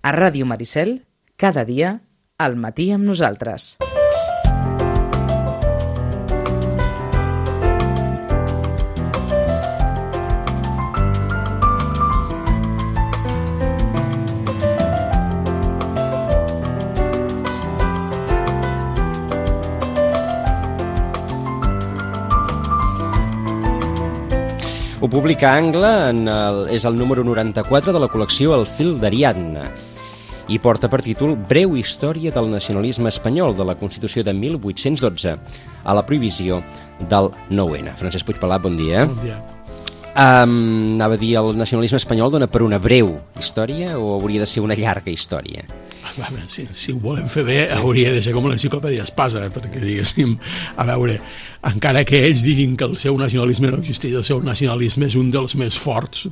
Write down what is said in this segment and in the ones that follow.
A Ràdio Maricel, cada dia, al matí amb nosaltres. Ho publica Angle, és el número 94 de la col·lecció El fil d'Ariadna i porta per títol Breu història del nacionalisme espanyol de la Constitució de 1812 a la prohibició del 9-N. Francesc Puigpelat, bon dia. Bon dia. Anava a dir, el nacionalisme espanyol dona per una breu història o hauria de ser una llarga història? Si ho volem fer bé, hauria de ser com l'enciclopèdia Espasa, perquè diguéssim, a veure, encara que ells diguin que el seu nacionalisme no existeix, el seu nacionalisme és un dels més forts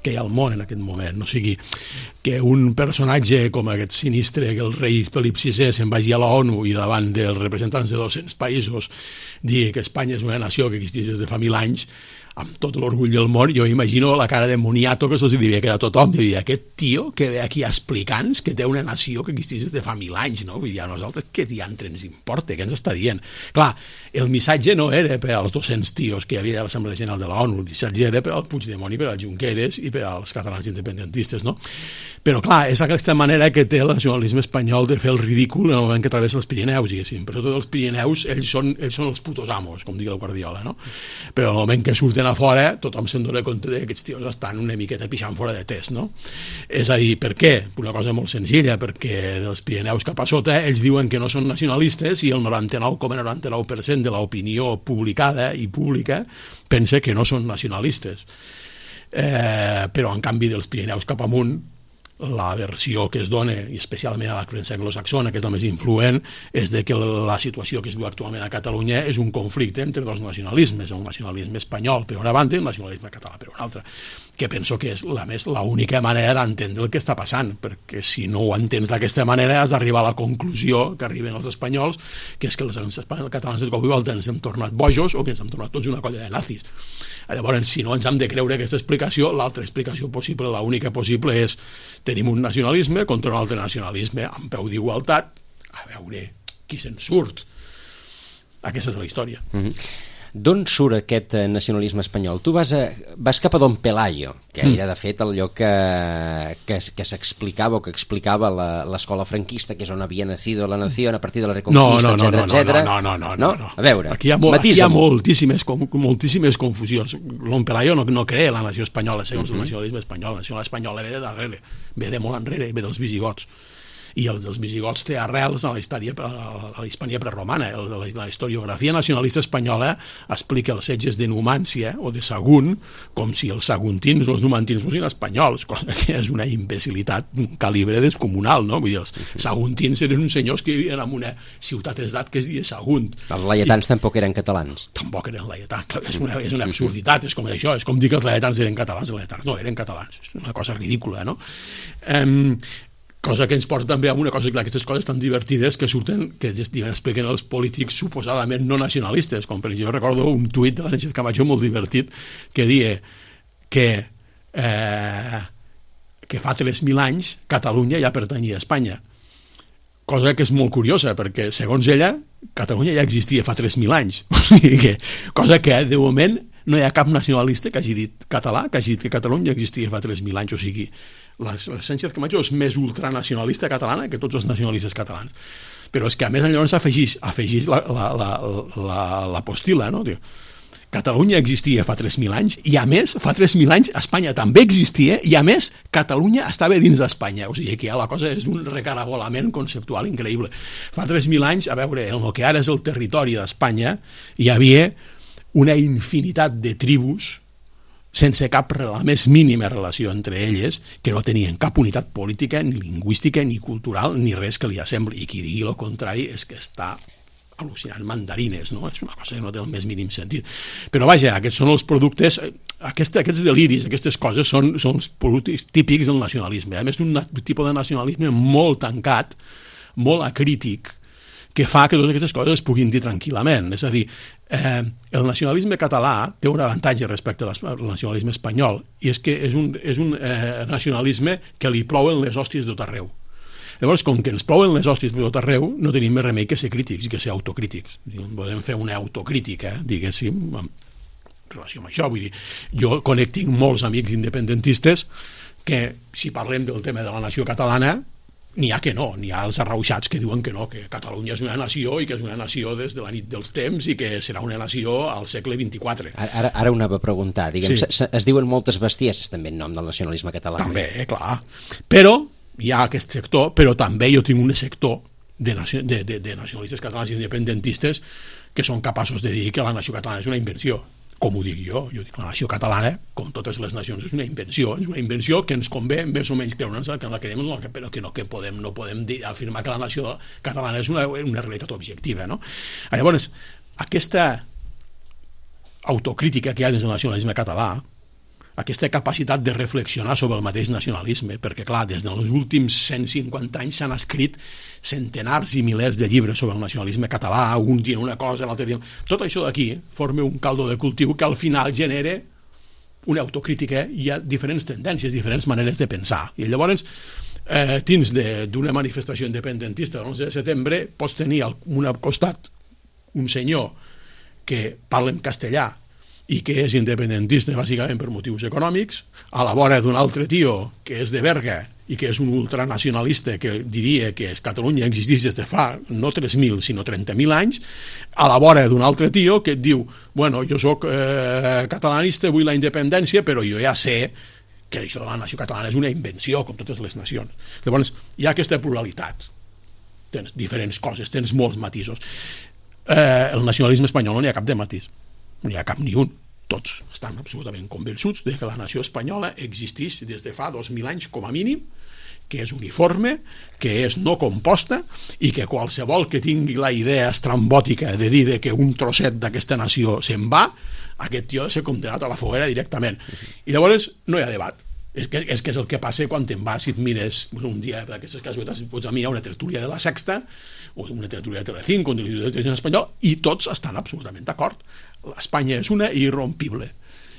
que hi ha al món en aquest moment. O sigui, que un personatge com aquest sinistre, que el rei Felip VI se'n vagi a la ONU i davant dels representants de 200 països digui que Espanya és una nació que existeix des de fa 1000 anys, amb tot l'orgull del món, jo imagino la cara de moniato que se'ls devia quedar a tothom, devia dir, aquest tio que ve aquí explicant que té una nació que existeix des de fa 1000 anys, no? Vull dir, a nosaltres què diantre ens importa, què ens està dient? Clar, el missatge no era per als 200 tios que hi havia a l'Assemblea General de la ONU, el missatge era per al Puigdemont i per als Junqueras i per als catalans independentistes, no? Però clar, és aquesta manera que té el nacionalisme espanyol de fer el ridícul en el moment que travessa els Pirineus, diguéssim. Per tot els Pirineus, ells són els putos amos, com digui la Guardiola, no? Però en el moment que surten a fora, tothom se'n dona compte que aquests tios estan una miqueta pixant fora de test, no? És a dir, per què? Una cosa molt senzilla, perquè dels Pirineus cap a sota ells diuen que no són nacionalistes i el 99,99% de l'opinió publicada i pública pensa que no són nacionalistes. Però en canvi dels Pirineus cap amunt, la versió que es dona, i especialment a la premsa anglosaxona, que és la més influent, és de que la situació que es viu actualment a Catalunya és un conflicte entre dos nacionalismes, el nacionalisme espanyol per una banda i el nacionalisme català per una altra, que penso que és l'única manera d'entendre el que està passant, perquè si no ho entens d'aquesta manera has d'arribar a la conclusió que arriben els espanyols, que és que els catalans de cop i volta ens hem tornat bojos o que ens hem tornat tots una colla de nazis. Llavors, si no ens hem de creure aquesta explicació, l'altra explicació possible, l'única possible, és tenim un nacionalisme contra un altre nacionalisme amb peu d'igualtat, a veure qui se'n surt. Aquesta és la història. D'on surt aquest nacionalisme espanyol? Tu vas cap a Don Pelayo, que era de fet allò que s'explicava o que explicava l'escola franquista, que és on havia nacido la nació a partir de la Reconquista, etcètera. No. A veure, aquí hi ha moltíssimes confusions. Don Pelayo no crea la nació espanyola segons el nacionalisme espanyol. La nació espanyola ve de darrere, ve de molt enrere, ve dels visigots. I els dels visigots té arrels a la Hispània preromana. La historiografia nacionalista espanyola explica els setges de Numància o de Sagunt com si els saguntins o els numantins fossin espanyols, cosa que és una imbecilitat d'un calibre descomunal, no? Vull dir, els saguntins eren uns senyors que vivien en una ciutat-estat que es deia Sagunt. Els laietans tampoc eren catalans. Tampoc eren laietans, és una absurditat, és com això, és com dir que els laietans eren catalans, els laietans no eren catalans, és una cosa ridícula, no? Cosa que ens porta també a una cosa, clar, aquestes coses tan divertides que surten, que expliquen els polítics suposadament no nacionalistes, com per exemple, jo recordo un tuit de la Sánchez Camacho molt divertit que deia que fa 3.000 anys Catalunya ja pertanyia a Espanya, cosa que és molt curiosa perquè segons ella Catalunya ja existia fa 3.000 anys, o sigui cosa que de moment no hi ha cap nacionalista que hagi dit català, que hagi dit que Catalunya existia fa 3.000 anys, o sigui la Sánchez Camacho és més ultranacionalista catalana que tots els nacionalistes catalans, però és que a més llavors afegeix la postila, no? Catalunya existia fa 3.000 anys i a més fa 3.000 anys Espanya també existia i a més Catalunya estava dins d'Espanya, o sigui que ja la cosa és un recaragolament conceptual increïble. Fa 3.000 anys, a veure, en el que ara és el territori d'Espanya hi havia una infinitat de tribus sense la més mínima relació entre elles, que no tenien cap unitat política, ni lingüística, ni cultural, ni res que li assembli. I qui digui el contrari és que està al·lucinant mandarines, no? És una cosa que no té el més mínim sentit. Però vaja, aquests són els productes, aquests deliris, aquestes coses són els productes típics del nacionalisme. A més, un tipus de nacionalisme molt tancat, molt acrític, que fa que totes aquestes coses es puguin dir tranquil·lament. És a dir, el nacionalisme català té un avantatge respecte al nacionalisme espanyol, i és que és un nacionalisme que li plouen les hòsties de tot arreu. Llavors, com que ens plouen les hòsties de tot arreu, no tenim més remei que ser crítics i que ser autocrítics. Podem fer una autocrítica, diguéssim, en relació amb això. Vull dir, jo tinc molts amics independentistes que, si parlem del tema de la nació catalana, n'hi ha que no, n'hi ha els arrauxats que diuen que no, que Catalunya és una nació i que és una nació des de la nit dels temps i que serà una nació al segle XXIV. Ara ho anava a preguntar. Diguem, sí. Es diuen moltes bestieses també en nom del nacionalisme català. També, clar. Però hi ha aquest sector, però també jo tinc un sector de nacionalistes catalans i independentistes que són capaços de dir que la nació catalana és una invenció. Com ho dic jo dic, la nació catalana, com totes les nacions, és una invenció que ens convé més o menys creure'ns que la creiem, però que no podem afirmar que la nació catalana és una realitat objectiva, no? Llavors, aquesta autocrítica que hi ha dins del nacionalisme català, aquesta capacitat de reflexionar sobre el mateix nacionalisme, perquè clar, des dels últims 150 anys s'han escrit centenars i milers de llibres sobre el nacionalisme català, un dia una cosa, l'altre dia... Tot això d'aquí forma un caldo de cultiu que al final genera una autocrítica i hi ha diferents tendències, diferents maneres de pensar. I llavors, dins d'una manifestació independentista de l'11 de setembre, pots tenir a un costat un senyor que parla en castellà i que és independentista bàsicament per motius econòmics, a la vora d'un altre tio que és de Berga i que és un ultranacionalista que diria que Catalunya existeix des de fa no 3.000 sinó 30.000 anys, a la vora d'un altre tio que et diu, bueno, jo soc catalanista, vull la independència, però jo ja sé que això de la nació catalana és una invenció, com totes les nacions. Llavors, hi ha aquesta pluralitat. Tens diferents coses, tens molts matisos. El nacionalisme espanyol no n'hi ha cap de matís, no n'hi ha cap ni un. Tots estan absolutament convençuts de que la nació espanyola existeix des de fa 2.000 anys com a mínim, que és uniforme, que és no composta i que qualsevol que tingui la idea estrambòtica de dir que un trosset d'aquesta nació se'n va, aquest tio ha de ser condemnat a la foguera directament. I llavors no hi ha debat. És que és el que passa quan te'n vas i et mires un dia d'aquestes casualitats, pots mirar una tertúlia de la Sexta o una tertúlia de Telecinco, un televisió en espanyol, i tots estan absolutament d'acord. Espanya és una irrompible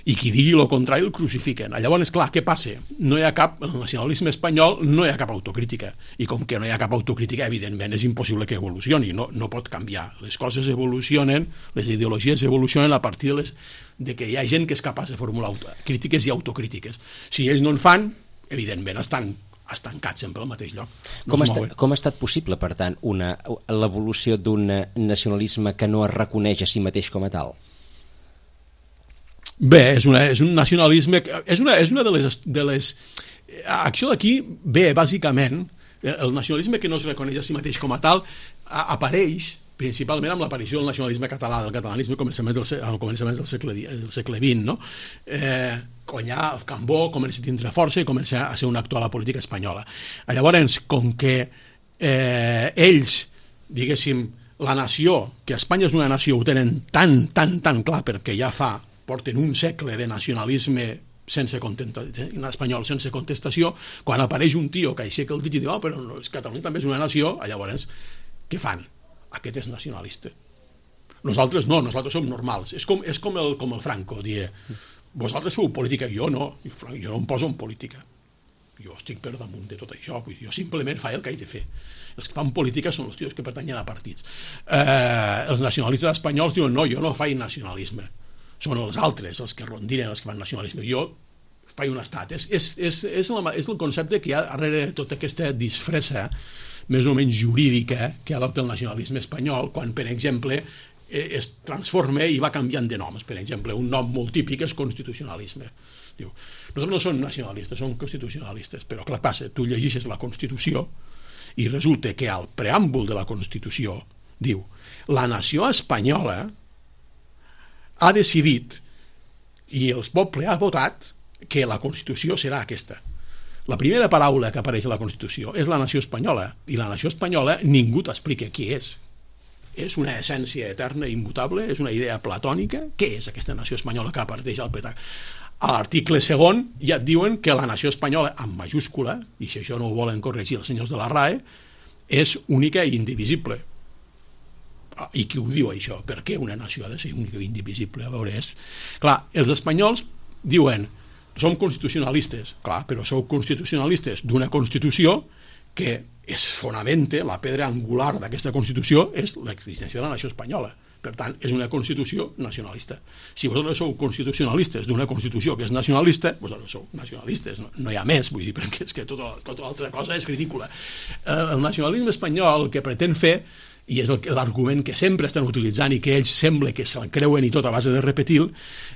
i qui digui el contrari el crucifiquen. Llavors, clar, què passa? No hi ha cap, el nacionalisme espanyol no hi ha cap autocrítica, i com que no hi ha cap autocrítica, evidentment és impossible que evolucioni, no pot canviar. Les coses evolucionen, les ideologies evolucionen a partir de que hi ha gent que és capaç de formular crítiques i autocrítiques. Si ells no en fan, evidentment estan estancats sempre al mateix lloc. Com ha estat possible, per tant, l'evolució d'un nacionalisme que no es reconeix a si mateix com a tal? Bé, és un nacionalisme, és una de les acció d'aquí ve bàsicament el nacionalisme que no es reconeix a si mateix com a tal apareix principalment amb l'aparició del nacionalisme català, del catalanisme al començament del segle XX, no? Quan ja el Cambó comença a tindre força i comença a ser un actor a la política espanyola. Llavors, com que ells, diguéssim, la nació, que Espanya és una nació, ho tenen tan clar perquè ja porten un segle de nacionalisme espanyol sense contestació, quan apareix un tio que aixeca el dit i diu, però Catalunya també és una nació, llavors, què fan? Aquest és nacionalista. Nosaltres no, nosaltres som normals. És com el Franco, dir, vosaltres feu política, jo no, jo no em poso en política. Jo estic per damunt de tot això, jo simplement faig el que he de fer. Els que fan política són els tios que pertanyen a partits. Els nacionalistes espanyols diuen, no, jo no faig nacionalisme. Són els altres, els que rondinen, els que fan nacionalisme. Jo faig un estat. És el concepte que hi ha darrere de tota aquesta disfressa més o menys jurídica que adopta el nacionalisme espanyol quan, per exemple, es transforma i va canviant de noms. Per exemple, un nom molt típic és constitucionalisme. Diu, nosaltres no som nacionalistes, som constitucionalistes, però clar, passa, tu llegeixes la Constitució i resulta que al preàmbul de la Constitució diu, la nació espanyola ha decidit i el poble ha votat que la Constitució serà aquesta. La primera paraula que apareix a la Constitució és la nació espanyola, i la nació espanyola ningú t'explica qui és. És una essència eterna i immutable, és una idea platònica. Què és aquesta nació espanyola que apareix al Pletac? A l'article segon ja et diuen que la nació espanyola, amb majúscula, i si això no ho volen corregir els senyors de la RAE, és única i indivisible. I qui ho diu, això? Per què una nació ha de ser única i indivisible? A veure, clar, els espanyols diuen som constitucionalistes, clar, però sou constitucionalistes d'una Constitució que es fonamenta, la pedra angular d'aquesta Constitució és l'existència de la nació espanyola. Per tant, és una Constitució nacionalista. Si vosaltres sou constitucionalistes d'una Constitució que és nacionalista, vosaltres sou nacionalistes, no hi ha més, vull dir, perquè és que tota altra cosa és ridícula. El nacionalisme espanyol el que pretén fer, i és l'argument que sempre estan utilitzant i que ells sembla que se'n creuen i tot a base de repetir,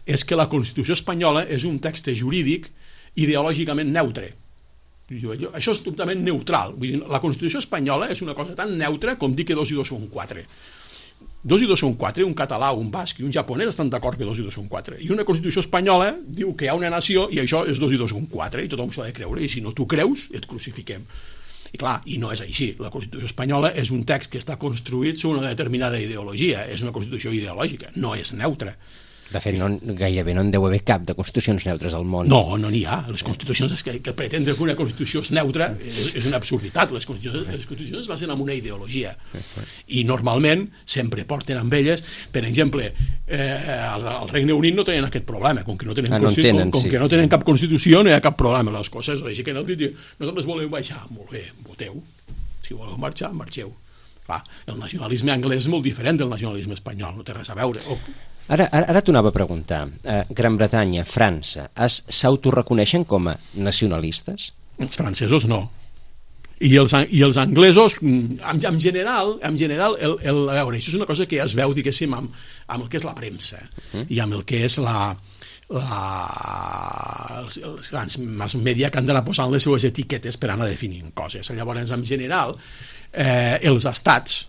és que la Constitució espanyola és un text jurídic ideològicament neutre. Això és totalment neutral. Vull dir, la Constitució espanyola és una cosa tan neutra com dir que 2 i 2 són 4. 2 i 2 són 4, un català, un basc i un japonès estan d'acord que 2 i 2 són 4. I una Constitució espanyola diu que hi ha una nació i això és 2 i 2 són 4, i tothom s'ho ha de creure, i si no t'ho creus, et crucifiquem. I clar, i no és així. La Constitució espanyola és un text que està construït sobre una determinada ideologia, és una Constitució ideològica, no és neutra. De fet, gairebé no en deu haver cap de constitucions neutres al món. No n'hi ha. Les constitucions que pretendre que una constitució és neutra és una absurditat. Les constitucions es basen en una ideologia. I normalment sempre porten amb elles, per exemple, al Regne Unit no tenen aquest problema. Com que no tenen cap constitució, no hi ha cap problema amb les coses. Així que nosaltres volem baixar. Molt bé, voteu. Si voleu marxar, marxeu. Clar, el nacionalisme anglès és molt diferent del nacionalisme espanyol, no té res a veure. Ara t'ho anava a preguntar. Gran Bretanya, França, s'autoreconeixen com a nacionalistes? Els francesos no. I els anglesos, en general, a veure, això és una cosa que es veu, diguéssim, amb el que és la premsa i amb el que és els grans mass media que han d'anar posant les seues etiquetes per anar definint coses. Llavors, en general, els estats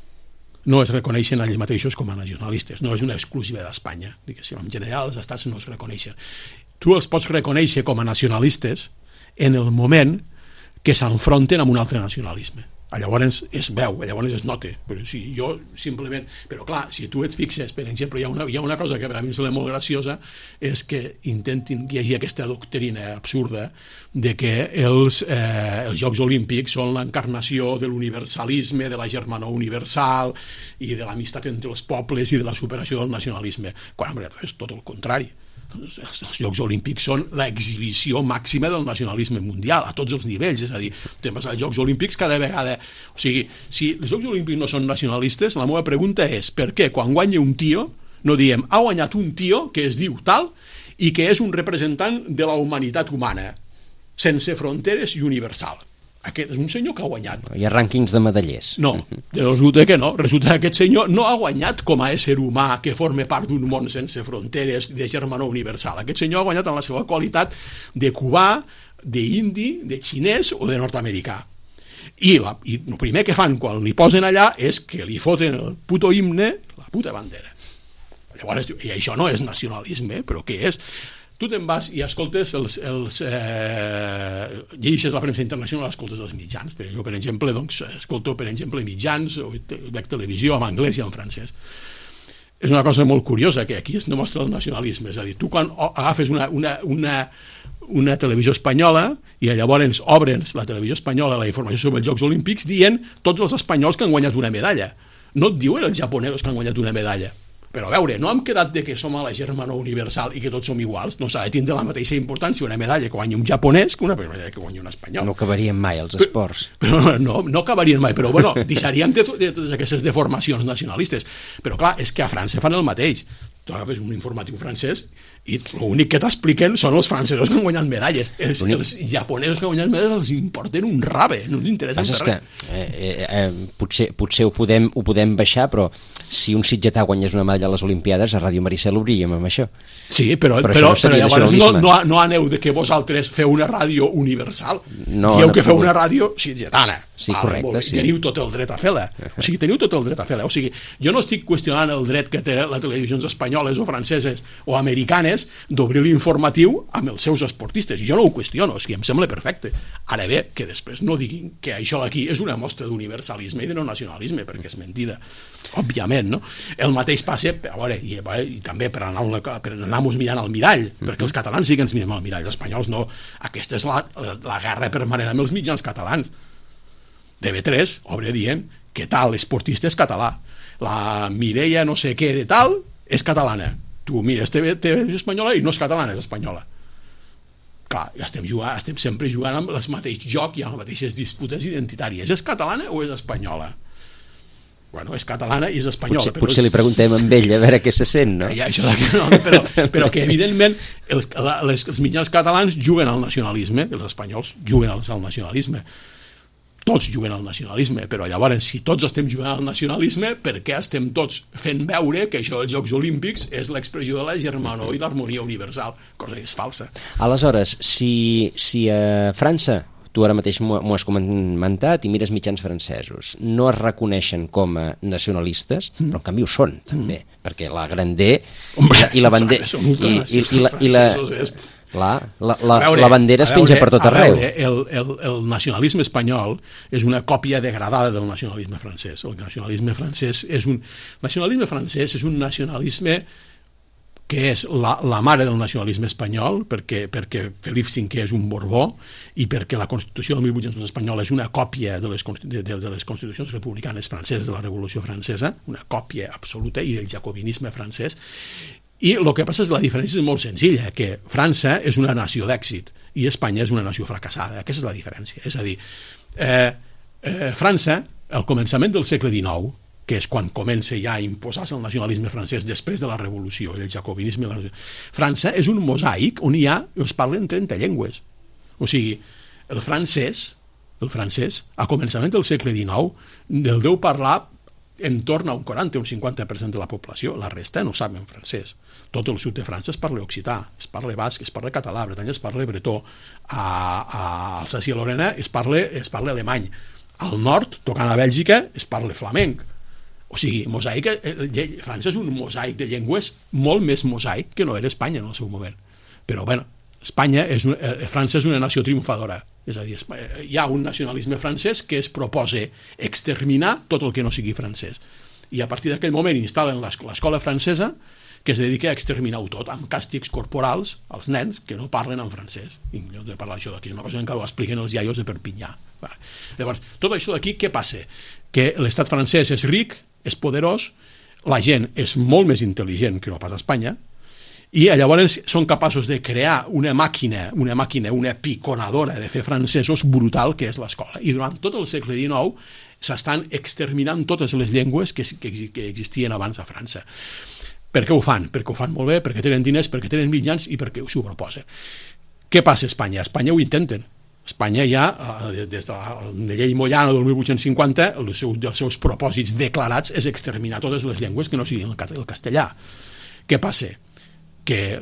no es reconeixen a ells mateixos com a nacionalistes, no és una exclusiva d'Espanya, diguéssim. En general els estats no es reconeixen. Tu els pots reconèixer com a nacionalistes en el moment que s'enfronten amb un altre nacionalisme. Llavors es veu, llavors es nota. Però si jo simplement... Però clar, si tu et fixes, per exemple, hi ha una cosa que per a mi em sembla molt graciosa, és que intentin llegir aquesta doctrina absurda de que els Jocs Olímpics són l'encarnació de l'universalisme, de la germanor universal i de l'amistat entre els pobles i de la superació del nacionalisme, quan en veritat és tot el contrari. Els Jocs Olímpics són l'exhibició màxima del nacionalisme mundial a tots els nivells, és a dir, temes als Jocs Olímpics cada vegada, o sigui, si els Jocs Olímpics no són nacionalistes, la meva pregunta és per què quan guanya un tio no diem ha guanyat un tio que es diu tal i que és un representant de la humanitat humana sense fronteres i universal. Aquest és un senyor que ha guanyat. Hi ha rànquings de medallers. No, resulta que no. Resulta que aquest senyor no ha guanyat com a ésser humà que forma part d'un món sense fronteres de germanor universal. Aquest senyor ha guanyat en la seva qualitat de cubà, d'indi, de xinès o de nord-americà. I el primer que fan quan li posen allà és que li foten el puto himne, la puta bandera. Llavors, i això no és nacionalisme, però què és? Tu te'n vas i escoltes llegeixes la premsa internacional, escoltes els mitjans. Jo, per exemple, escolto, per exemple, mitjans, o veig televisió en anglès i en francès. És una cosa molt curiosa, que aquí es demostra el nacionalisme. És a dir, tu quan agafes una televisió espanyola i llavors obres la televisió espanyola la informació sobre els Jocs Olímpics dient tots els espanyols que han guanyat una medalla. No et diuen els japonesos que han guanyat una medalla. Però a veure, no hem quedat de que som a la germanor universal i que tots som iguals. No s'ha de tindre la mateixa importància una medalla que guanya un japonès que una medalla que guanya un espanyol. No acabarien mai els esports. Però no acabarien mai, però bueno, deixaríem de totes aquestes deformacions nacionalistes. Però clar, és que a França fan el mateix. Tu agafes un informatiu francès i l'únic que t'expliquen són els francesos que han guanyat medalles. Els japonesos que han guanyat medalles els importen un rave, no els interessa res. Potser ho podem baixar, però si un sitgetà guanyés una medalla a les Olimpiades, a Ràdio Maricel obríem amb això. Sí, però llavors no aneu de que vosaltres feu una ràdio universal. Dieu que feu una ràdio sitgetana. Sí, correcte, sí. Teniu tot el dret a fer-la. O sigui, teniu tot el dret a fer-la. O sigui, jo no estic qüestionant el dret que té les televisions espanyoles o franceses o americanes d'obrir l'informatiu amb els seus esportistes. Jo no ho qüestiono, o sigui, em sembla perfecte. Ara bé, que després no diguin que això d'aquí és una mostra d'universalisme i de no nacionalisme, perquè és mentida. Òbviament, no? El mateix passa, a veure, i també per anar-nos mirant al mirall, perquè els catalans sí que ens mirem al mirall, els espanyols no. Aquesta és la guerra permanent amb els mitjans catalans. TV3 obre dient que tal esportista és català. la Mireia no sé què de tal és catalana. Tu mires TV espanyola i no és catalana, és espanyola. Clar, estem sempre jugant amb el mateix joc i amb les mateixes disputes identitàries. És catalana o és espanyola? Bueno, és catalana i és espanyola. Potser li preguntem a ell a veure què se sent, no? Però que evidentment els mitjans catalans juguen al nacionalisme, els espanyols juguen al nacionalisme. Tots juguen al nacionalisme, però llavors, si tots estem jugant al nacionalisme, per què estem tots fent veure que això dels Jocs Olímpics és l'expressió de la germanor i l'harmonia universal? Cosa que és falsa. Aleshores, si a França, tu ara mateix m'ho has comentat, i mires mitjans francesos, no es reconeixen com a nacionalistes, però en canvi ho són, també, perquè la Grandé i la bandera... La bandera es penja per tot arreu. El nacionalisme espanyol és una còpia degradada del nacionalisme francès. El nacionalisme francès és un nacionalisme que és la mare del nacionalisme espanyol, perquè Felip V és un Borbó i perquè la Constitució del 1800 espanyola és una còpia de les constitucions republicanes franceses de la Revolució Francesa, una còpia absoluta, i del jacobinisme francès. I el que passa és que la diferència és molt senzilla, que França és una nació d'èxit i Espanya és una nació fracassada. Aquesta és la diferència. És a dir, França, al començament del segle XIX, que és quan comença ja a imposar-se el nacionalisme francès després de la Revolució i el jacobinisme, França és un mosaic on es parlen 30 llengües. O sigui, el francès, a començament del segle XIX, el deu parlar entorn a un 40 o un 50% de la població, la resta no saben francès. Tot el sud de França es parla occità, es parla basc, es parla català, a Bretanya es parla bretó, a Alsàcia i Lorena es parla alemany, al nord, tocant a Bèlgica, es parla flamenc. O sigui, França és un mosaic de llengües molt més mosaic que no era Espanya en el seu moment. Però, bueno, França és una nació triomfadora. És a dir, hi ha un nacionalisme francès que es proposa exterminar tot el que no sigui francès. I a partir d'aquell moment instal·len l'escola francesa, que es dedica a exterminar-ho tot, amb càstigs corporals als nens que no parlen en francès. I no he de parlar d'això d'aquí, és una cosa que ho expliquen els iaios de Perpinyà. Llavors, tot això d'aquí, què passa? Que l'estat francès és ric, és poderós, la gent és molt més intel·ligent que no pas a Espanya, i llavors són capaços de crear una màquina, una piconadora de fer francesos brutal, que és l'escola. I durant tot el segle XIX s'estan exterminant totes les llengües que existien abans a França. Per què ho fan? Perquè ho fan molt bé, perquè tenen diners, perquè tenen mitjans i perquè s'ho proposen. Què passa a Espanya? A Espanya ho intenten. Espanya ja, des de la llei Moyano del 1850, dels seus propòsits declarats és exterminar totes les llengües que no siguin el castellà. Què passa? Que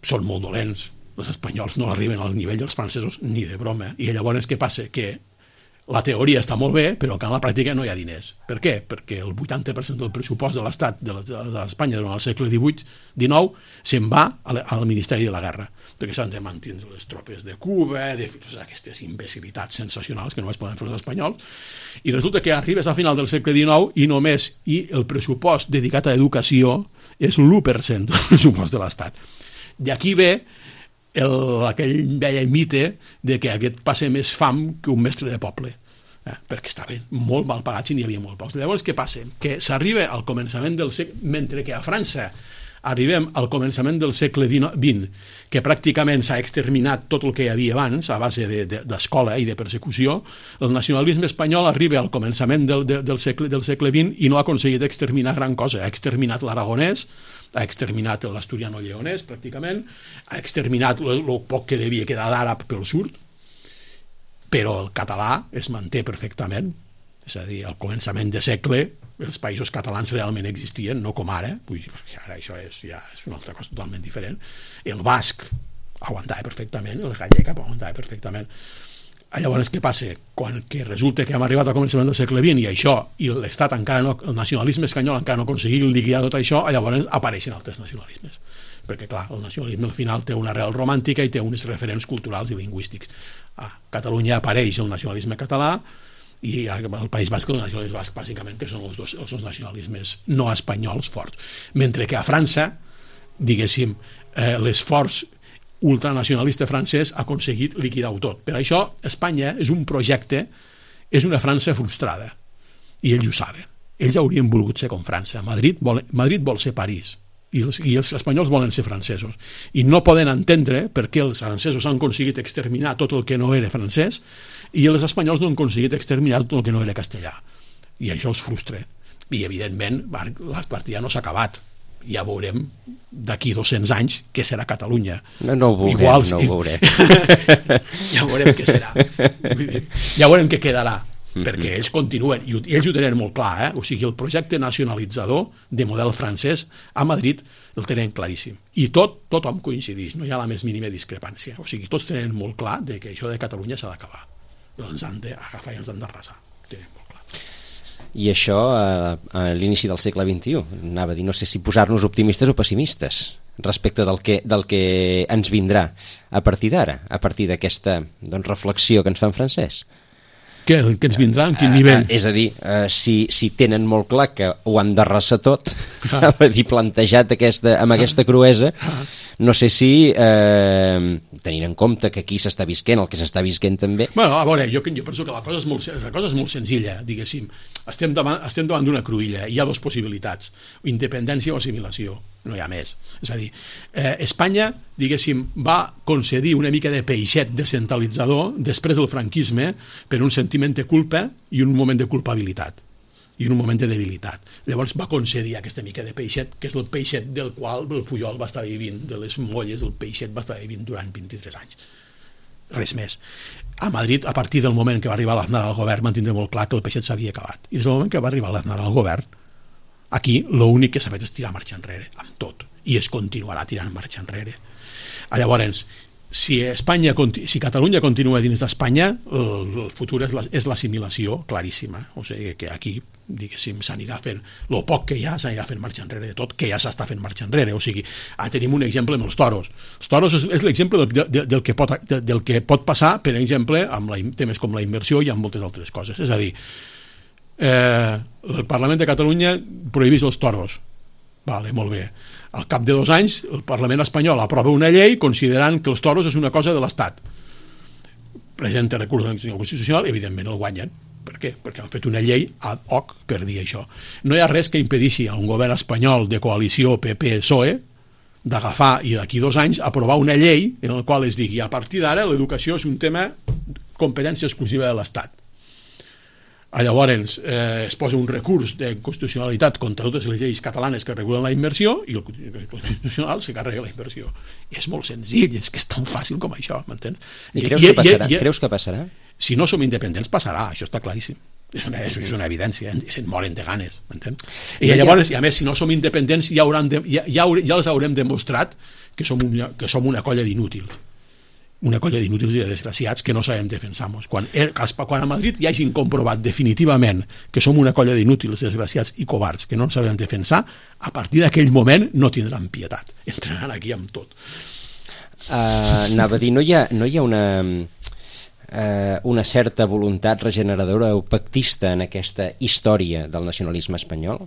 són molt dolents. Els espanyols no arriben al nivell dels francesos ni de broma. I llavors què passa? Que la teoria està molt bé, però que en la pràctica no hi ha diners. Per què? Perquè el 80% del pressupost de l'Estat d'Espanya durant el segle XIX se'n va al Ministeri de la Guerra, perquè s'han de mantenir les tropes de Cuba, de aquestes imbecilitats sensacionals que només poden fer els espanyols, i resulta que arribes al final del segle XIX i el pressupost dedicat a educació és l'1% del pressupost de l'Estat. D'aquí ve aquell vell mite de que aquest passa més fam que un mestre de poble, perquè estaven molt mal pagats i n'hi havia molt pocs. Llavors què passa? Que s'arriba al començament del segle, mentre que a França arribem al començament del segle XX, que pràcticament s'ha exterminat tot el que hi havia abans a base d'escola i de persecució, el nacionalisme espanyol arriba al començament del segle XX i no ha aconseguit exterminar gran cosa. Ha exterminat l'aragonès, ha exterminat l'asturiano-lleonès pràcticament, ha exterminat el poc que devia quedar d'àrab pel sud, però el català es manté perfectament. És a dir, al començament de segle els països catalans realment existien, no com ara, ara això és una altra cosa totalment diferent. El basc aguantava perfectament, el gallec aguantava perfectament. Llavors què passa? Quan que resulta que hem arribat al començament del segle XX i l'Estat encara no, el nacionalisme espanyol encara no aconseguia liquidar tot això, llavors apareixen altres nacionalismes. Perquè clar, el nacionalisme al final té una arrel romàntica i té uns referents culturals i lingüístics. A Catalunya apareix el nacionalisme català i al País Basc el nacionalisme basc, bàsicament, que són els dos nacionalismes no espanyols forts. Mentre que a França, diguéssim, l'esforç ultranacionalista francès ha aconseguit liquidar-ho tot. Per això Espanya és un projecte, és una França frustrada, i ells ho saben. ells haurien volgut ser com França. Madrid vol ser París i els espanyols volen ser francesos i no poden entendre per què els francesos han aconseguit exterminar tot el que no era francès i els espanyols no han aconseguit exterminar tot el que no era castellà, i això els frustra i evidentment la partida no s'ha acabat. Ja veurem d'aquí 200 anys què serà Catalunya. No ho veurem. Ja veurem què serà. Ja veurem què quedarà, perquè ells continuen, i ells ho tenen molt clar, o sigui, el projecte nacionalitzador de model francès a Madrid el tenen claríssim. I tothom coincideix, no hi ha la més mínima discrepància. O sigui, tots tenen molt clar que això de Catalunya s'ha d'acabar. Ens han d'agafar i ens han d'arrasar. Tenen molt clar. I això a l'inici del segle XXI, anava a dir, no sé si posar-nos optimistes o pessimistes respecte del que ens vindrà a partir d'ara, a partir d'aquesta reflexió que ens fa en Francesc. Què ens vindrà? En quin nivell? És a dir, si tenen molt clar que ho han d'arrasar tot, plantejat amb aquesta cruesa, no sé si, tenint en compte que aquí s'està visquent, el que s'està visquent també... Bueno, a veure, jo penso que la cosa és molt senzilla, diguéssim. Estem davant d'una cruïlla, hi ha dues possibilitats, independència o assimilació, no hi ha més. És a dir, Espanya, diguéssim, va concedir una mica de peixet descentralitzador després del franquisme per un sentiment de culpa i un moment de culpabilitat i un moment de debilitat. Llavors va concedir aquesta mica de peixet, que és el peixet del qual el Pujol va estar vivint, de les molles, el peixet va estar vivint durant 23 anys. Res més. A Madrid, a partir del moment que va arribar l'Aznar al govern, van tindre molt clar que el peixet s'havia acabat. I des del moment que va arribar l'Aznar al govern, aquí l'únic que s'ha fet és tirar marxa enrere, amb tot. I es continuarà tirant marxa enrere. Llavors, si Catalunya continua dins d'Espanya, el futur és l'assimilació claríssima. O sigui que aquí, diguéssim, s'anirà fent el poc que hi ha, s'anirà fent marxa enrere de tot, que ja s'està fent marxa enrere. O sigui, tenim un exemple amb els toros. Els toros és l'exemple del que pot passar, per exemple, amb temes com la immersió i amb moltes altres coses. És a dir, el Parlament de Catalunya prohibeix els toros. Vale, molt bé. Al cap de 2 anys el Parlament espanyol aprova una llei considerant que els toros és una cosa de l'Estat. Presenta recurs a la Constitucional, evidentment el guanyen. Per què? Perquè han fet una llei ad hoc per dir això. No hi ha res que impedeixi a un govern espanyol de coalició PP-PSOE d'agafar i d'aquí 2 anys aprovar una llei en la qual es digui a partir d'ara l'educació és un tema competència exclusiva de l'Estat. Llavors es posa un recurs de constitucionalitat contra totes les lleis catalanes que regulen la immersió i el Constitucional se carrega la immersió. És molt senzill, és que és tan fàcil com això, m'entens? I creus que passarà? Si no som independents passarà, això està claríssim. És una evidència, se'n moren de ganes, m'entens? I llavors, i a més, si no som independents ja els haurem demostrat que som una colla d'inútils. Una colla d'inútils i de desgraciats que no sabem defensar-nos. Quan a Madrid ja hagin comprovat definitivament que som una colla d'inútils, desgraciats i covards que no ens sabem defensar, a partir d'aquell moment no tindran pietat. Entraran aquí amb tot. Anava a dir, no hi ha una certa voluntat regeneradora o pactista en aquesta història del nacionalisme espanyol?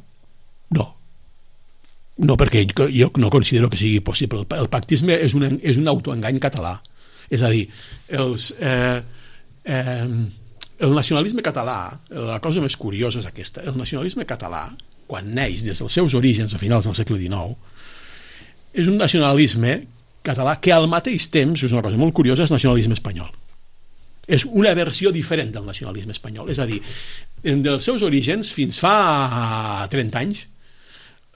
No. No, perquè jo no considero que sigui possible. El pactisme és un autoengany català. És a dir, el nacionalisme català, la cosa més curiosa és aquesta, el nacionalisme català, quan neix des dels seus orígens a finals del segle XIX, és un nacionalisme català que al mateix temps, és una cosa molt curiosa, és nacionalisme espanyol. És una versió diferent del nacionalisme espanyol. És a dir, dels seus orígens, fins fa 30 anys,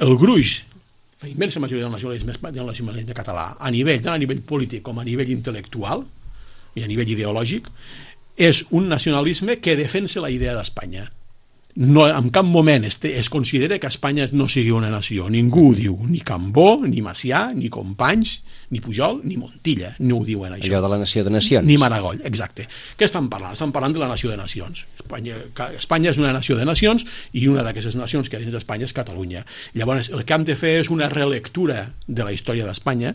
el gruix, la immensa majoria del nacionalisme català, tant a nivell polític com a nivell intel·lectual i a nivell ideològic, és un nacionalisme que defensa la idea d'Espanya. No, en cap moment es considera que Espanya no sigui una nació. Ningú ho diu, ni Cambó, ni Macià, ni Companys, ni Pujol, ni Montilla, no ho diuen això. Allò de la nació de nacions. Ni Maragall, exacte. Què estan parlant? Estan parlant de la nació de nacions. Espanya és una nació de nacions i una d'aquestes nacions que dins d'Espanya és Catalunya. Llavors, el que hem de fer és una relectura de la història d'Espanya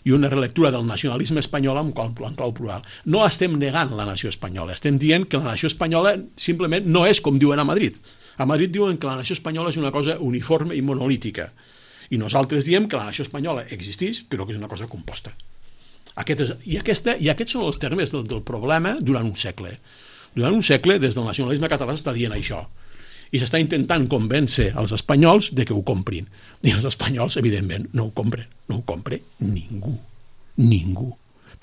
i una relectura del nacionalisme espanyol en clau plural. No estem negant la nació espanyola, estem dient que la nació espanyola simplement no és com diuen a Madrid. A Madrid diuen que la nació espanyola és una cosa uniforme i monolítica, i nosaltres diem que la nació espanyola existeix, però que és una cosa composta. I aquests són els termes del problema durant un segle. Durant un segle, des del nacionalisme català s'està dient això. i s'està intentant convèncer els espanyols de que ho comprin. I els espanyols, evidentment, no ho compren. No ho compra ningú.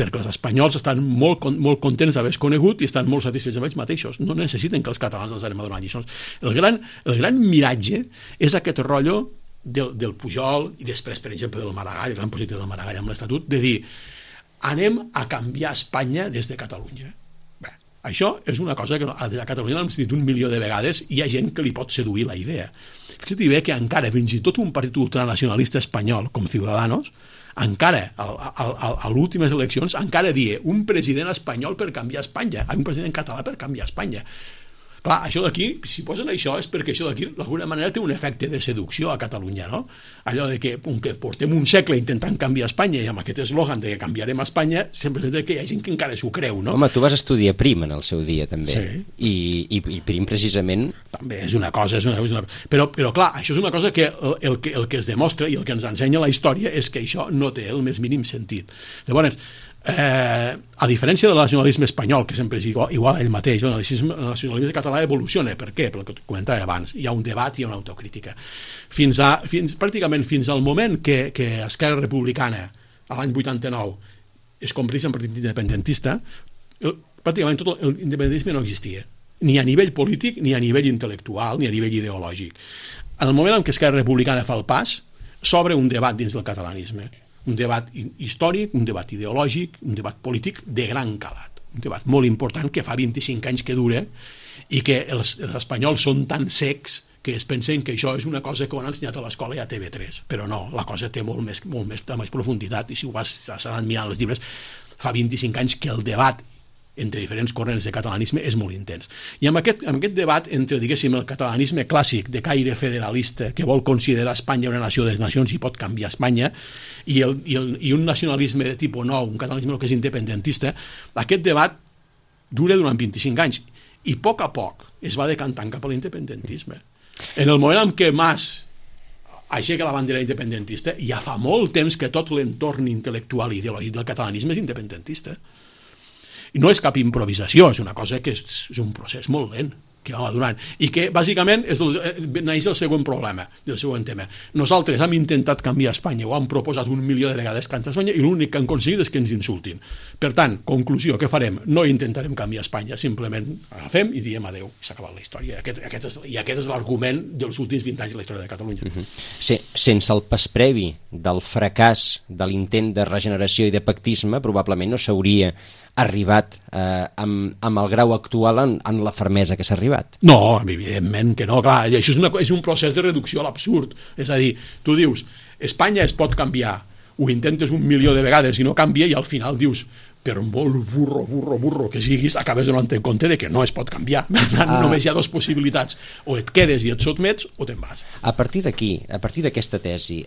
Perquè els espanyols estan molt contents d'haver conegut i estan molt satisfets amb ells mateixos. No necessiten que els catalans els anem a donar lliçons. El gran miratge és aquest rotllo del Pujol i després, per exemple, del Maragall, el gran projecte del Maragall amb l'Estatut, de dir anem a canviar Espanya des de Catalunya. Bé, això és una cosa que a Catalunya l'hem sentit 1 milió de vegades i hi ha gent que li pot seduir la idea. Fixa't bé que encara, fins i tot un partit ultranacionalista espanyol com Ciudadanos, encara a les últimes eleccions encara dia un president espanyol per canviar Espanya, un president català per canviar Espanya. Clar, això d'aquí, si posen això és perquè això d'aquí d'alguna manera té un efecte de seducció a Catalunya, no? Allò de que portem un segle intentant canviar Espanya i amb aquest eslògan de que canviarem Espanya, sempre és que hi ha gent que encara s'ho creu, no? Home, tu vas estudiar Prim en el seu dia, també. Sí. I Prim, precisament... També és una cosa, Però clar, això és una cosa que el que es demostra i el que ens ensenya la història és que això no té el més mínim sentit. Llavors, a diferència del nacionalisme espanyol, que sempre és igual a ell mateix, el nacionalisme català evoluciona. Per què? Pel que comentava abans, hi ha un debat i una autocrítica pràcticament fins al moment que Esquerra Republicana a l'any 89 es converteix en partit independentista, pràcticament tot l'independentisme no existia, ni a nivell polític, ni a nivell intel·lectual, ni a nivell ideològic. En el moment en què Esquerra Republicana fa el pas, s'obre un debat dins del catalanisme, un debat històric, un debat ideològic, un debat polític de gran calat, un debat molt important que fa 25 anys que dura i que els espanyols són tan secs que es pensen que això és una cosa que ho han ensenyat a l'escola i a TV3, però no, la cosa té molt més profunditat, i si ho vas anant mirant els llibres, fa 25 anys que el debat entre diferents corrents de catalanisme és molt intens. I amb aquest debat entre, diguéssim, el catalanisme clàssic de caire federalista, que vol considerar Espanya una nació de nacions i pot canviar Espanya, i un nacionalisme de tipus nou, un catalanisme que és independentista, aquest debat dura durant 25 anys i a poc es va decantant cap a l'independentisme. En el moment en què Mas aixeca la bandera independentista, ja fa molt temps que tot l'entorn intel·lectual i ideològic del catalanisme és independentista. I no és cap improvisació, és una cosa que és un procés molt lent que va madurant i que bàsicament neix el següent problema, el següent tema. Nosaltres hem intentat canviar Espanya, ho hem proposat 1 milió de vegades cantar Espanya i l'únic que han aconseguit és que ens insultin. Per tant, conclusió, què farem? No intentarem canviar Espanya, simplement agafem i diem adeu, i s'ha acabat la història. I aquest és l'argument dels últims 20 anys de la història de Catalunya. Sense el pas previ del fracàs de l'intent de regeneració i de pactisme, probablement no s'hauria arribat amb el grau actual en la fermesa que s'ha arribat. No, evidentment que no, clar, això és un procés de reducció a l'absurd, és a dir, tu dius Espanya es pot canviar, ho intentes 1 milió de vegades i no canvia i al final dius, per molt burro que siguis, acabes donant en compte de que no es pot canviar. Només hi ha 2 possibilitats, o et quedes i et sotmets o te'n vas. A partir d'aquí, a partir d'aquesta tesi,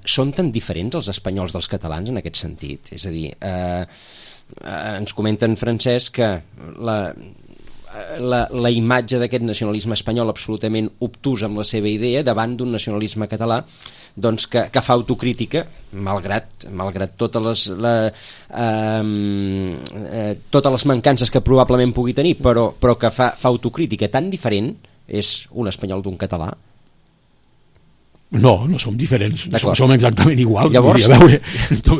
són tan diferents els espanyols dels catalans en aquest sentit? És a dir, ens comenta en Francesc que la imatge d'aquest nacionalisme espanyol absolutament obtús amb la seva idea davant d'un nacionalisme català doncs que fa autocrítica malgrat totes les mancances que probablement pugui tenir, però que fa autocrítica. Tan diferent és un espanyol d'un català? No som diferents, som exactament iguals. Llavors...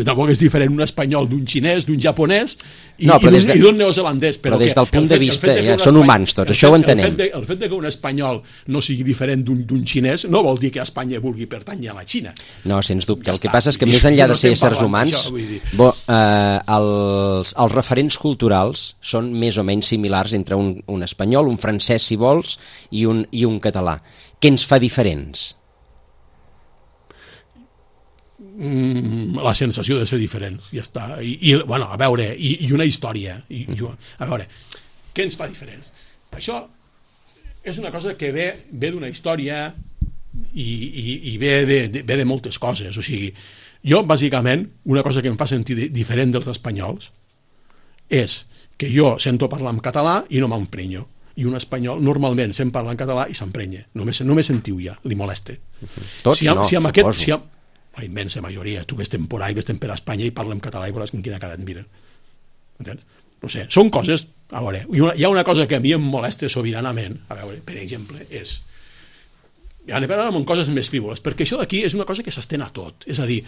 tampoc és diferent un espanyol d'un xinès, d'un japonès i d'un neozelandès. Però des del punt de vista, són humans tots, això ho entenem. El fet que un espanyol no sigui diferent d'un xinès no vol dir que Espanya vulgui pertànyer a la Xina. No, sens dubte. El que passa és que més enllà de ser éssers humans, els referents culturals són més o menys similars entre un espanyol, un francès, si vols, i un català. Què ens fa diferents? La sensació de ser diferents, ja està. Bueno, a veure, i una història. A veure, què ens fa diferents? Això és una cosa que ve d'una història i ve de moltes coses. O sigui, jo, bàsicament, una cosa que em fa sentir diferent dels espanyols és que jo sento parlar en català i no m'emprenyo. I un espanyol normalment sent parlar en català i s'emprenya. Només sentiu ja, li molesta. Tots no, suposo. La immensa majoria. Tu ves temporada i ves per a Espanya i parla en català i veuràs amb quina cara et miren. Entens? No sé, són coses... A veure, hi ha una cosa que a mi em molesta sobiranament, a veure, per exemple, és... Ja anem amb coses més frívoles, perquè això d'aquí és una cosa que s'estén a tot. És a dir,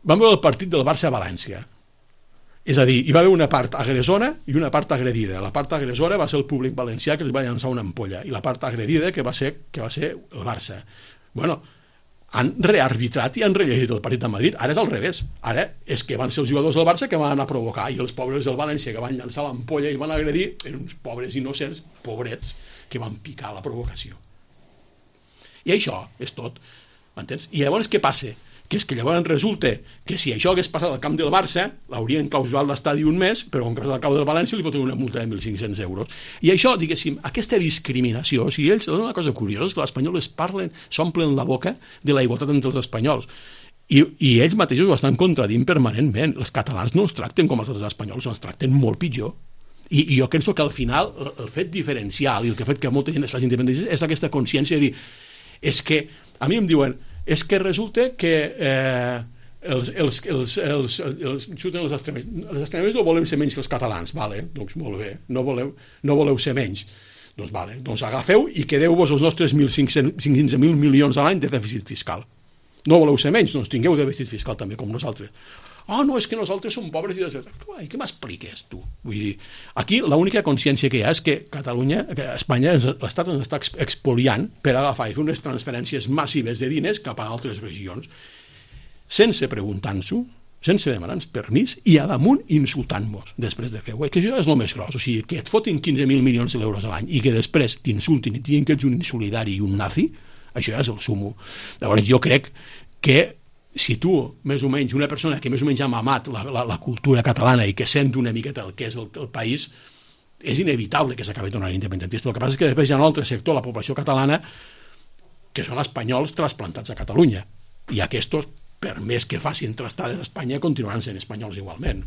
vam veure el partit del Barça a València. És a dir, hi va haver una part agressora i una part agredida. La part agressora va ser el públic valencià que els va llançar una ampolla, i la part agredida que va ser el Barça. Bueno, han rearbitrat i han rellegit el partit de Madrid. Ara és al revés. Ara és que van ser els jugadors del Barça que van anar a provocar, i els pobres del València que van llançar l'ampolla i van agredir eren uns pobres innocents, pobrets, que van picar la provocació. I això és tot. M'entens? I llavors què passa? Que és que llavors resulta que si això hagués passat al camp del Barça, l'haurien clausurat l'estadi un mes, però com que és al camp del València li foten una multa de 1.500 euros. I això, diguéssim, aquesta discriminació, o sigui, ells, una cosa curiosa és que els espanyols s'omplen la boca de la igualtat entre els espanyols. I ells mateixos ho estan contradint permanentment. Els catalans no els tracten com els altres espanyols, els tracten molt pitjor. I jo penso que al final el fet diferencial i el que ha fet que molta gent es faci independència és aquesta consciència de dir, és que a mi em diuen, és que resulta que xuten els extremistes no volem ser menys que els catalans, vale, doncs molt bé, no voleu ser menys, doncs vale, doncs agafeu i quedeu-vos els nostres 15.000 milions a l'any de dèficit fiscal. No voleu ser menys, doncs tingueu dèficit fiscal també com nosaltres. No, és que nosaltres som pobres i què m'expliques tu? Vull dir, aquí l'única consciència que hi ha és que Catalunya, que Espanya, l'Estat ens està expoliant per agafar i fer unes transferències massives de diners cap a altres regions, sense preguntar-nos-ho, sense demanar-nos permís, i a damunt insultant-nos després de fer-ho. Que això és el més gros, o sigui, que et fotin 15.000 milions d'euros a l'any i que després t'insultin i diguin que ets un insolidari i un nazi, això ja és el sumo. Llavors jo crec que si tu, més o menys, una persona que més o menys ha mamat la cultura catalana i que sent una miqueta el que és el país, és inevitable que s'acabi tornant independentista. El que passa és que després hi ha un altre sector, la població catalana, que són espanyols trasplantats a Catalunya. I aquests, per més que facin trastades a Espanya, continuaran sent espanyols igualment.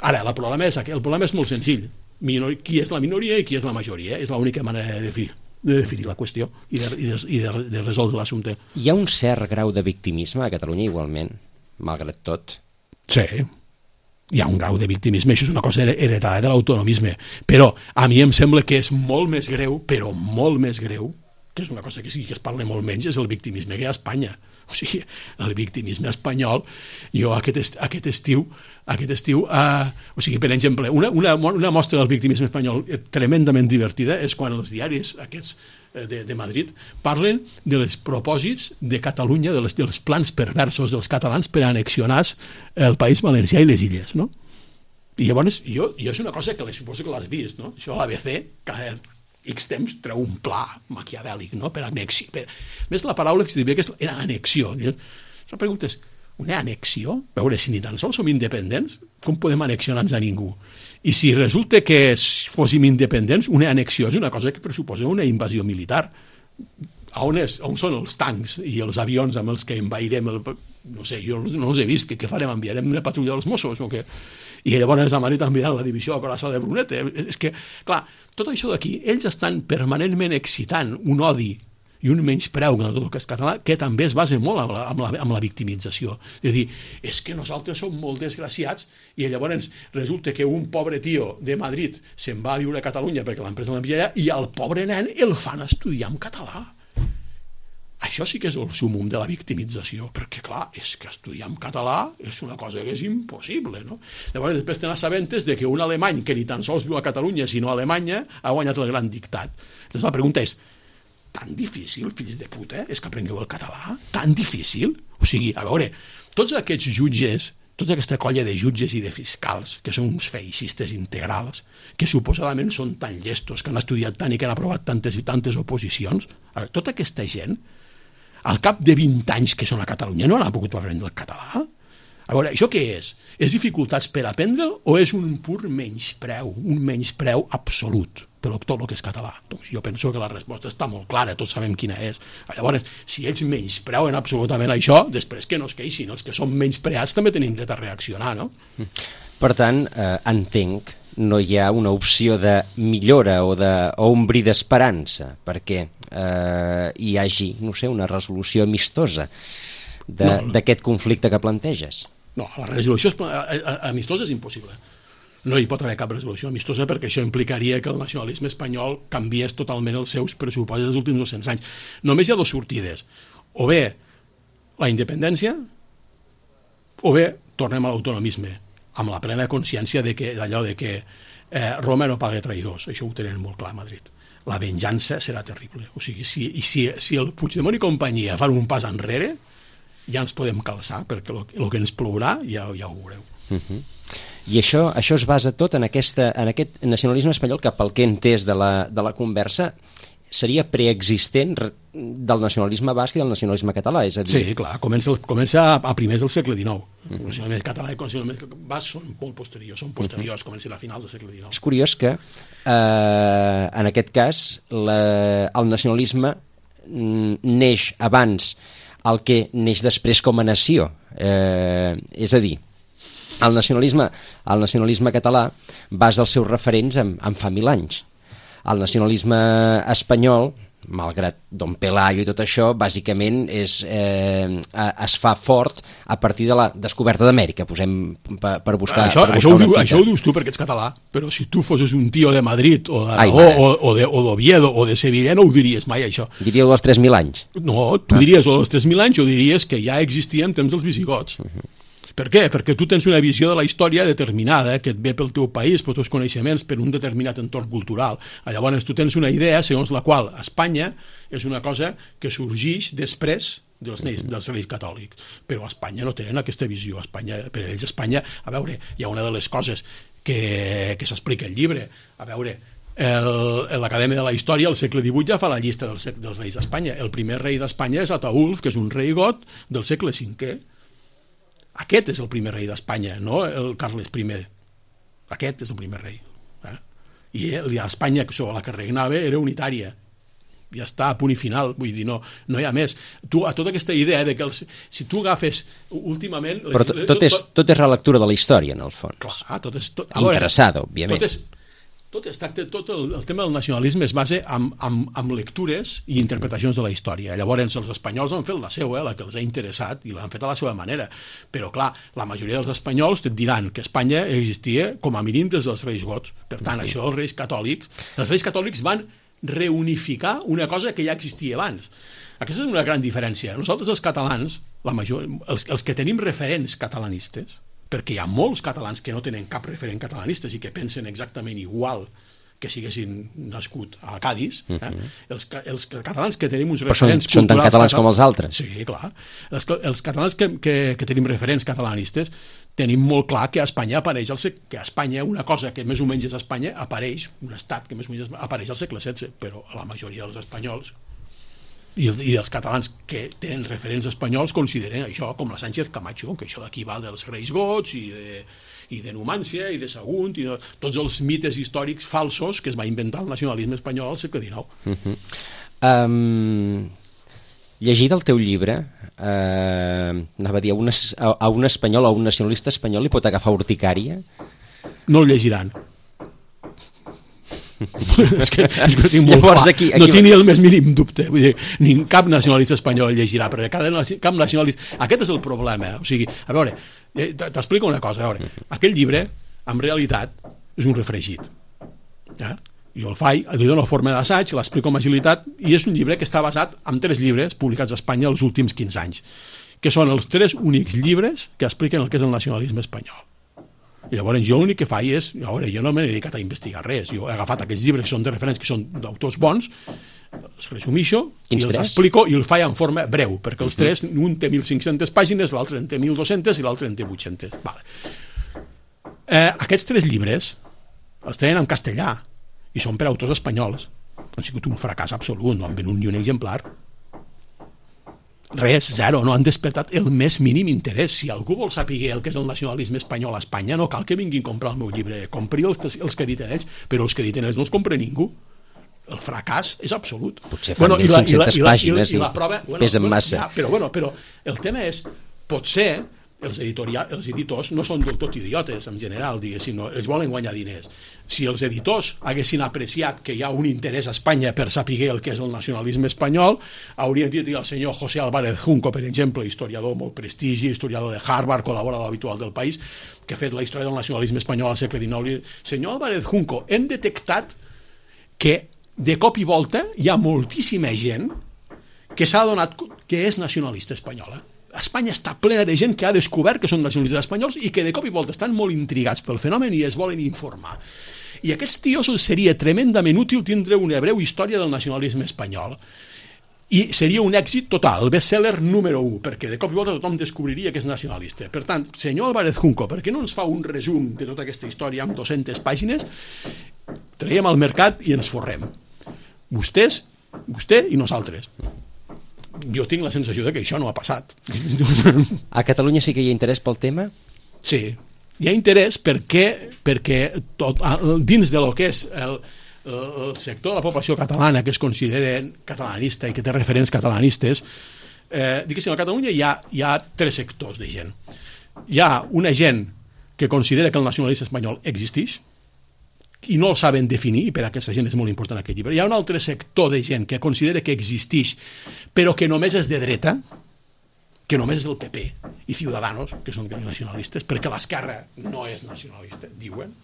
Ara, el problema és molt senzill. Qui és la minoria i qui és la majoria. És l'única manera de definir la qüestió i de resoldre l'assumpte. Hi ha un cert grau de victimisme a Catalunya igualment, malgrat tot? Sí, hi ha un grau de victimisme, això és una cosa heretada de l'autonomisme, però a mi em sembla que és molt més greu, però molt més greu, que és una cosa que sí que es parla molt menys, és el victimisme que hi ha a Espanya. O sigui, el victimisme espanyol, jo aquest estiu, o sigui, per exemple, una mostra del victimisme espanyol tremendament divertida és quan els diaris aquests de Madrid parlen dels propòsits de Catalunya, dels plans perversos dels catalans per annexionar el País Valencià i les illes, no? I llavors, jo és una cosa que suposo que l'has vist, no? Això a l'ABC, cada X temps treu un pla maquiavèlic, no? Per anexi. Més la paraula que diria que era annexió. La pregunta és, una annexió? A veure, si ni tan sols som independents, com podem annexionar-nos a ningú? I si resulta que fóssim independents, una annexió és una cosa que pressuposa una invasió militar. On són els tancs i els avions amb els que envairem no sé, jo no els he vist, què farem? Enviarem una patrulla dels Mossos o què? I llavors a Madrid enviaran la divisió a Coraçó de Brunete. És que, clar, tot això d'aquí, ells estan permanentment excitant un odi i un menyspreu de tot el que és català, que també es basa molt amb la victimització. És a dir, és que nosaltres som molt desgraciats i llavors resulta que un pobre tio de Madrid se'n va a viure a Catalunya perquè l'empresa l'envia allà i al pobre nen el fan estudiar en català. Això sí que és el súmum de la victimització, perquè, clar, és que estudiar en català és una cosa que és impossible, no? Llavors, després te n'assabentes de que un alemany que ni tan sols viu a Catalunya, sinó a Alemanya, ha guanyat el gran dictat. Llavors, la pregunta és, tan difícil, fills de puta, és que aprengueu el català? Tan difícil? O sigui, a veure, tots aquests jutges, tota aquesta colla de jutges i de fiscals, que són uns feixistes integrals, que suposadament són tan llestos, que han estudiat tant i que han aprovat tantes i tantes oposicions, tota aquesta gent, al cap de 20 anys que són a Catalunya no han pogut aprendre el català? A veure, això què és? És dificultats per aprendre'l o és un pur menyspreu, un menyspreu absolut per tot el que és català? Doncs jo penso que la resposta està molt clara, tots sabem quina és. Llavors, si ells menyspreuen absolutament això, després que no es queixin, els que són menyspreats també tenim dret a reaccionar, no? Per tant, entenc, no hi ha una opció de millora o un bri d'esperança perquè hi hagi, no sé, una resolució amistosa d'aquest conflicte que planteges. No, la resolució amistosa és impossible. no hi pot haver cap resolució amistosa perquè això implicaria que el nacionalisme espanyol canviés totalment els seus pressupostos dels últims 200 anys. Només hi ha dues sortides. O bé la independència o bé tornem a l'autonomisme, amb la plena consciència d'allò de que Roma no paga traïdors. Això ho tenen molt clar a Madrid. La venjança serà terrible. O sigui, si el Puigdemont i companyia fan un pas enrere, ja ens podem calçar, perquè el que ens plourà ja ho veureu. I això es basa tot en aquest nacionalisme espanyol que, pel que he entès de la conversa, seria preexistent del nacionalisme basc i del nacionalisme català, és a dir... Sí, clar, comença a primers del segle XIX. El nacionalisme català i el nacionalisme basc són molt posteriors, comencen a finals del segle XIX. És curiós que, en aquest cas, el nacionalisme neix abans el que neix després com a nació. És a dir, el nacionalisme català basa els seus referents en fa 1000 anys. El nacionalisme espanyol, malgrat Don Pelayo i tot això, bàsicament es fa fort a partir de la descoberta d'Amèrica, per buscar... Això ho dius tu perquè ets català, però si tu fossis un tio de Madrid o d'Aragó o d'Oviedo o de Sevilla no ho diries mai, això. Diria dels 3.000 anys. No, tu diries o dels 3.000 anys o diries que ja existia en temps dels visigots. Per què? Perquè tu tens una visió de la història determinada, que et ve pel teu país, pels teus coneixements, per un determinat entorn cultural. Llavors tu tens una idea segons la qual Espanya és una cosa que sorgeix després dels reis catòlics. Però a Espanya no tenen aquesta visió. Per ells Espanya, a veure, hi ha una de les coses que s'explica al llibre, a veure, l'Acadèmia de la Història al segle XVIII ja fa la llista dels reis d'Espanya. El primer rei d'Espanya és Ataülf, que és un rei got del segle V. Aquest és el primer rei d'Espanya, no el Carles I. Aquest és el primer rei. I Espanya, la que regnava, era unitària. Ja està, a punt i final. Vull dir, no hi ha més. A tota aquesta idea de que si tu agafes últimament... Però tot és relectura de la història, en el fons. Clar, tot és... Interessada, òbviament. Tot el tema del nacionalisme es basa en lectures i interpretacions de la història. Llavors els espanyols han fet la seva, la que els ha interessat, i l'han fet a la seva manera. Però clar, la majoria dels espanyols et diran que Espanya existia com a mínim des dels reis gots. Per tant, això els reis catòlics van reunificar una cosa que ja existia abans. Aquesta és una gran diferència. Nosaltres els catalans, els que tenim referents catalanistes, perquè hi ha molts catalans que no tenen cap referent catalanistes i que pensen exactament igual que si haguessin nascut a Cádiz, els catalans que tenim uns referents culturals... Són tan catalans com els altres. Sí, clar. Els catalans que tenim referents catalanistes tenim molt clar que a Espanya apareix una cosa que més o menys és Espanya, un estat que més o menys apareix al segle XVI, però a la majoria dels espanyols i els catalans que tenen referents espanyols consideren això com la Sánchez Camacho, que això d'aquí va dels reis gots i de Numància i de Sagunt i tots els mites històrics falsos que es va inventar el nacionalisme espanyol al segle XIX. Llegit el teu llibre, anava a dir, a un espanyol o a un nacionalista espanyol li pot agafar urticària? No el llegiran. és que tinc molt clar. No tinc ni el més mínim dubte. Vull dir, cap nacionalista espanyol el llegirà, perquè cap nacionalista... Aquest és el problema. O sigui, a veure, t'explico una cosa. A veure, aquell llibre, en realitat, és un refregit. Jo el faig, li dono forma d'assaig, l'explico amb agilitat, i és un llibre que està basat en 3 llibres publicats a Espanya els últims 15 anys, que són els 3 únics llibres que expliquen el que és el nacionalisme espanyol. I llavors jo l'únic que faig és, jo no m'he dedicat a investigar res, jo he agafat aquells llibres que són de referents, que són d'autors bons, els resumixo i els explico i el faig en forma breu, perquè els 3, un té 1.500 pàgines, l'altre en té 1.200 i l'altre en té 800. Aquests 3 llibres els tenen en castellà i són per autors espanyols. Han sigut un fracàs absolut, no han venut ni un exemplar. Res, zero, no han despertat el més mínim interès. Si algú vol saber el que és el nacionalisme espanyol a Espanya, no cal que vinguin a comprar el meu llibre. Compri els que editen ells, però els que editen ells no els compra ningú. El fracàs és absolut. Potser fan 1.500 pàgines i la prova, pesen massa. Però el tema és, potser els editors no són del tot idiotes, en general, diguéssim, no, ells volen guanyar diners. Si els editors haguessin apreciat que hi ha un interès a Espanya per saber el que és el nacionalisme espanyol, haurien dit al senyor José Álvarez Junco, per exemple, historiador molt prestigi, historiador de Harvard, col·laborador habitual del País, que ha fet la història del nacionalisme espanyol al segle XIX. Senyor Álvarez Junco, hem detectat que de cop i volta hi ha moltíssima gent que s'ha adonat que és nacionalista espanyola. Espanya està plena de gent que ha descobert que són nacionalistes espanyols i que de cop i volta estan molt intrigats pel fenomen i es volen informar. I a aquests tios seria tremendament útil tindre una breu història del nacionalisme espanyol. I seria un èxit total, el best-seller número 1, perquè de cop i volta tothom descobriria que és nacionalista. Per tant, senyor Álvarez Junco, per què no ens fa un resum de tota aquesta història amb 200 pàgines? Traiem al mercat i ens forrem. Vostè i nosaltres. Jo tinc la sensació de que això no ha passat. A Catalunya sí que hi ha interès pel tema? Sí, hi ha interès perquè dins de lo que és el sector de la població catalana que es considera catalanista i que té referents catalanistes, diguéssim, a Catalunya hi ha 3 sectors de gent. Hi ha una gent que considera que el nacionalisme espanyol existeix i no el saben definir, i per a aquesta gent és molt important aquest llibre. Hi ha un altre sector de gent que considera que existeix, però que només és de dreta, que només és el PP i Ciudadanos, que són nacionalistes, perquè l'esquerra no és nacionalista, diuen.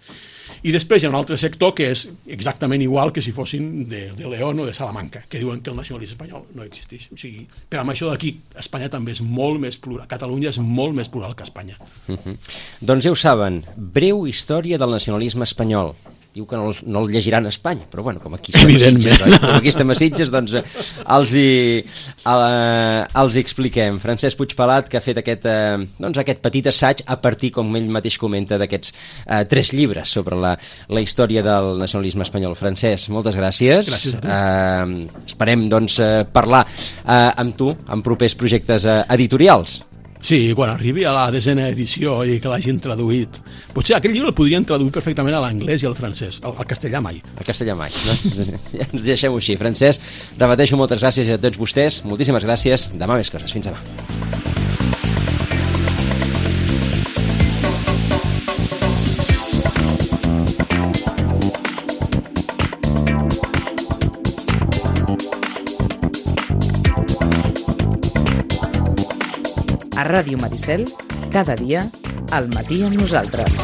I després hi ha un altre sector que és exactament igual que si fossin de León o de Salamanca, que diuen que el nacionalisme espanyol no existeix. O sigui, per amb això d'aquí, Espanya també és molt més plural, Catalunya és molt més plural que Espanya. Doncs ja ho saben, breu història del nacionalisme espanyol. Diu que no el llegiran a Espanya, però bueno, com aquí estem a Sitges, doncs els hi expliquem. Francesc Puigpelat, que ha fet aquest petit assaig a partir, com ell mateix comenta, d'aquests 3 llibres sobre la història del nacionalisme espanyol. Francesc, moltes gràcies. Gràcies a tu. Esperem, doncs, parlar amb tu en propers projectes editorials. Sí, quan arribi a la 10ª edició i que l'hagin traduït. Potser aquell llibre el podrien traduir perfectament a l'anglès i al francès, al castellà mai. Al castellà mai, no? Ja ens deixem-ho així. Francesc, repeteixo moltes gràcies a tots vostès, moltíssimes gràcies, demà més coses, fins demà. A Ràdio Maricel, cada dia, al matí amb nosaltres.